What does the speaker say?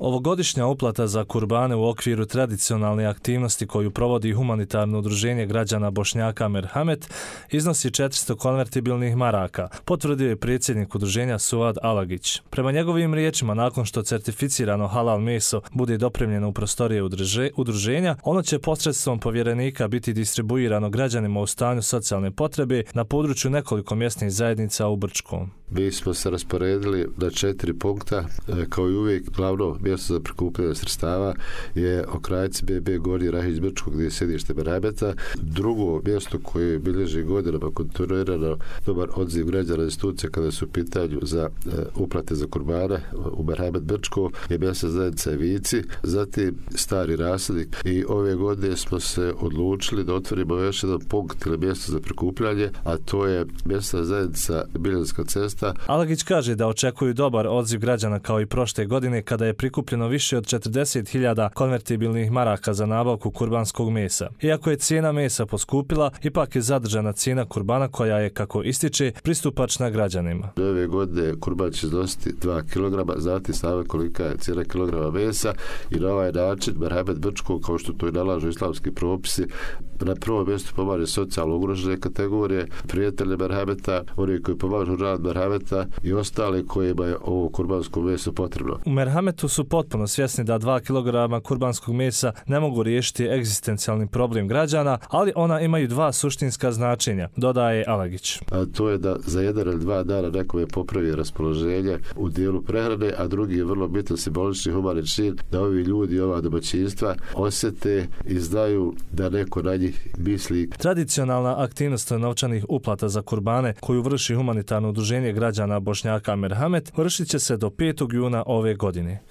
Ovogodišnja uplata za kurbane u okviru tradicionalne aktivnosti koju provodi humanitarno udruženje građana Bošnjaka Merhamet iznosi 400 konvertibilnih maraka, potvrdio je predsjednik udruženja Suad Alagić. Prema njegovim riječima, nakon što certificirano halal meso bude dopremljeno u prostorije udruženja, ono će posredstvom povjerenika biti distribuirano građanima u stanju socijalne potrebe na području nekoliko mjesnih zajednica u Brčkom. Mi smo se rasporedili na 4 punkta. Kao i uvijek, glavno mjesto za prikupljanje sredstava je Okrajci BB Gornji Rahić Brčko, gdje je sjedište Merhameta. Drugo mjesto koje bilježi godinama kontinuirano dobar odziv građana institucija kada su u pitanju za uplate za kurbane u Merhamet Brčko je mjesna zajednica Vici, zatim Stari Rasadnik, i ove godine smo se odlučili da otvorimo još jedan punkt ili mjesto za prikupljanje, a to je mjesna zajednica Biljanska cesta. Alagić kaže da očekuju dobar odziv građana kao i prošle godine kada je prikupljeno više od 40.000 konvertibilnih maraka za nabavku kurbanskog mesa. Iako je cijena mesa poskupila, ipak je zadržana cijena kurbana koja je, kako ističe, pristupačna građanima. Ove godine kurban će iznositi 2 kg, znate same kolika je cijena kilograma mesa, i na ovaj način Merhamet Brčko, kao što to i nalažu islamski propisi, na prvom mjestu pomaže socijalno ugrožene kategorije, prijatelje Merhameta, oni koji pomažu rad Merhameta i ostali kojima je ovo kurbansko meso potrebno. U Merhametu su potpuno svjesni da 2 kg kurbanskog mesa ne mogu riješiti egzistencijalni problem građana, ali ona imaju 2 suštinska značenja, dodaje Alagić. A to je da za 1 ili 2 dana nekome popravi raspoloženje u dijelu prehrane, a drugi je vrlo bitan simbolični humani čin da ovi ljudi, ova domaćinstva osjete i znaju da neko na njih misli. Tradicionalna aktivnost novčanih uplata za kurbane koju vrši humanitarno udruženje građana Bošnjaka Merhamet vršit će se do 5. juna ove godine.